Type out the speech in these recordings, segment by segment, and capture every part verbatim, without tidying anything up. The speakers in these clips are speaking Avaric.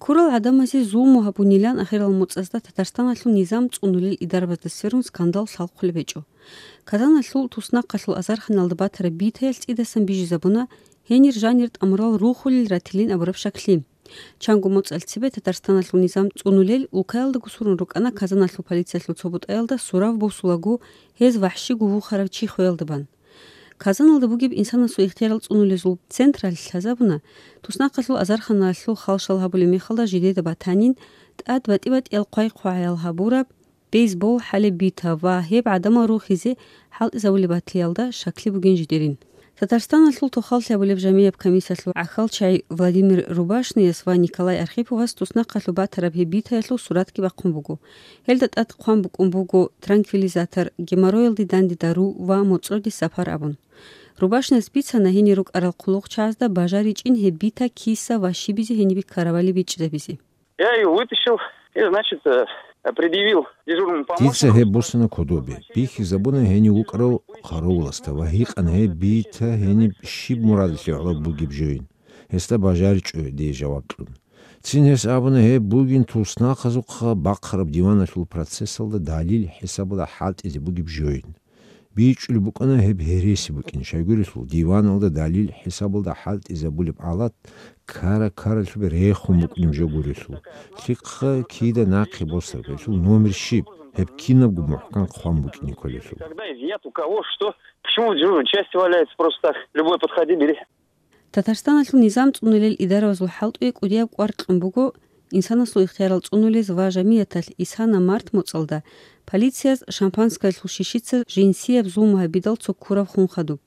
Ккурал гӀадамазе зулму гьабунилан ахирал моцӀазда Татарстаналъул низам цӀунулел идарабазда сверун скандал лъалхъулеб гьечӀо. Казаналъул туснахъалъул азарханалда батараб битаялъ цӀидасан бижизабуна гьенир жанир тӀамурал рухулел ратилин абураб шаклъи. Чанго моцӀалъ цебе Татарстаналъул низам цӀунулел улкаялдаго сурун рукӀана Казаналъул полициялъул цо бутӀаялда сурав босулаго гьез вахӀщиго вухарав чи хвеялда бан. Казаналда бугеб инсанасул ихтиярал цӀунулезул централъ лъазабуна, туснахъалъул азарханалъул халшал гьабулеб мехалда жидеда батанин, тӀад батӀи-батӀиял хъвай-хъвагӀаял гьабураб, бейсбол хӀалеб бита ва гьеб гӀадамал рухизе хӀалтӀизабулеб батиялда шакли бугин жидерин. Татарстаналъул тохаллъи гьабулеб жамияб комиссиялъул гӀахьалчагӀи Владимир Рубашнияс ва Николай Архиповас туснахъалъуб батараб гьеб битаялъул суратги бахъун буго. Гьелда тӀад хъван букӀун буго транквилизатор, геморроялде данде дару ва моцӀроде сапар абун. Рубашнияс бицана гьенир рукӀарал хъулухъчагӀазда бажаричӀин гьеб бита киса ва щибизе гьениб ккаравали бичӀчӀизабизе. Я её вытащил и, значит, э, предъявил дежурному помощнику. Дица гьеб босана кодобе, бихьизабуна гьенив вукӀарав хъаравуласда ва гьикъана гьеб бита гьениб щиб мурадалъе гӀоло бугеб жойин. Гьесда бажаричӀо дие жаваб кьун. Цин гьес абуна гьеб бугин туснахъазухъа бахъараб диваналъул процессалда далил хӀисабалда хӀалтӀизе бугеб жойин. БичӀчӀулеб букӀана гьеб гьереси букӀин, щайгурелъул диваналда далил хӀисабалда хӀалтӀизабулеб гӀалат ккара-ккаралъубе рехун букӀунеб жо гурелъул. Лъихъа кида нахъе босараб, гьелъул номер щиб, гьеб кинабго мухӀкан хъван букӀине кколелъул. Когда изъят у кого что, почему в дежурной части валяется просто так? Любой подходи, бери. Татарстаналъул низам цӀунулел идарабазул хӀалтӀуе кӀудияб кӀвар кьун буго инсанасул ихтиярал цӀунулез ва жамияталъ исана март моцӀалда полицияз шампанскоялъул шишица жинсияб зулму гьабидал цо ккураб хун хадуб.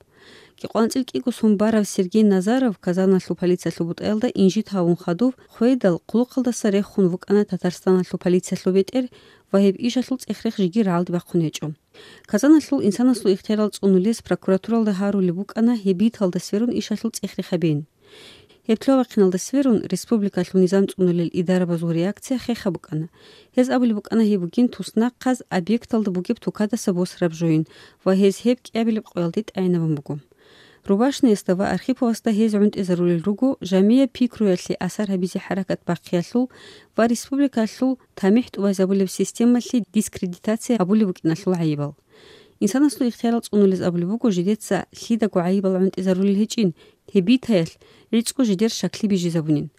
КӀикъванцӀил кӀиго сон барав Сергей Назаров Казаналъул полициялъул бутӀаялда инжит гьавун хадув хвейдал, хъулухъалдаса рехун вукӀана Татарстаналъул полициялъул бетӀер ва гьеб ишалъул цӀех-рех жеги рагӀалде бахъун гьечӀо. Казаналъул инсанасул ихтиярал цӀунулез прокуратуралда гьарулеб букӀана гьеб биталда сверун ишалъул цӀех-рех гьабин. Гьеб лъугьа-вахъиналда сверун республикалъул низам цӀунулел идарабазул реакция хеха букӀана. Гьез абулеб букӀана гьеб бугин туснахъаз объекталда бугеб тукадаса босараб жойин ва гьез гьеб кӀиабилеб къоялде тӀагӀинабун буго. Рубашниясда ва Архиповасда гьез гӀунтӀизарулел руго жамияб пикруялъе асар гьабизе хӀаракат бахъиялъул ва республикалъул тамихӀ тӀубазабулеб системалъе дискредитация гьабулеб букӀиналъул гӀайибал. Инсанасул ихтиярал цӀунулез абулеб буго жидеца лъидаго гӀайибал гӀунтӀизарулел гьечӀин, гьеб битаялъ гӀицӀго жидер шакли бижизабунин.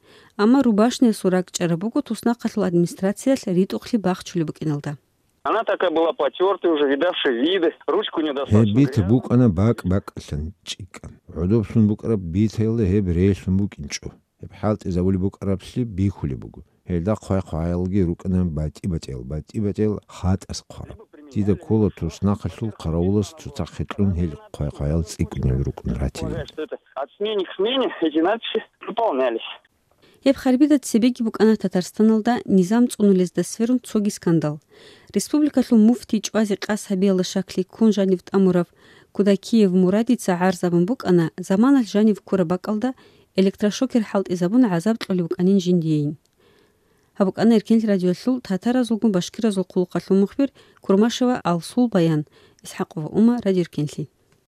Амма Рубашниясул ракӀчӀараб буго туснахъалъул администрациялъ ритӀухълъи бахчулеб букӀиналда. Она такая была потёртая уже, видавшая виды, ручку не достаточно. Гьеб бита букӀана бакӀ-бакӀалъан чӀикӀкӀан. ГӀодоблъун букӀараб битаялда гьеб релълъун букӀинчӀо. Гьеб хӀалтӀизабулеб букӀараблъи бихьулеб буго. Гьелда хъвай-хъваялги рукӀана батӀи-батӀиял, батӀи-батӀиял хатӀас хъвараб. Дида ккола туснахъалъул хъаравулас цоцахъе кьун гьел хъвай-хъваял цӀикӀкӀунел рукӀун ратилин. От смены к смене эти надписи дополнялись. Гьеб харбида цебеги букӀана Татарстаналда низам цӀунулезда сверун цоги скандал. Республикалъул муфтий чӀвазе къасд гьабиялда шакли ккун жанив тӀамурав Кудакиев Мурадица гӀарз абун букӀана, заманалъ жанив ккураб бакӀалда электрошокер хӀалтӀизабун гӀазаб кьолеб букӀанин жиндиейин. Гьаб букӀана Эркенлъи радиоялъул татаразулгун башкиразул хъулухъалъул мухбир Курмашева Алсул баян. ИсхӀакъова Ума, Радио Эркенлъи.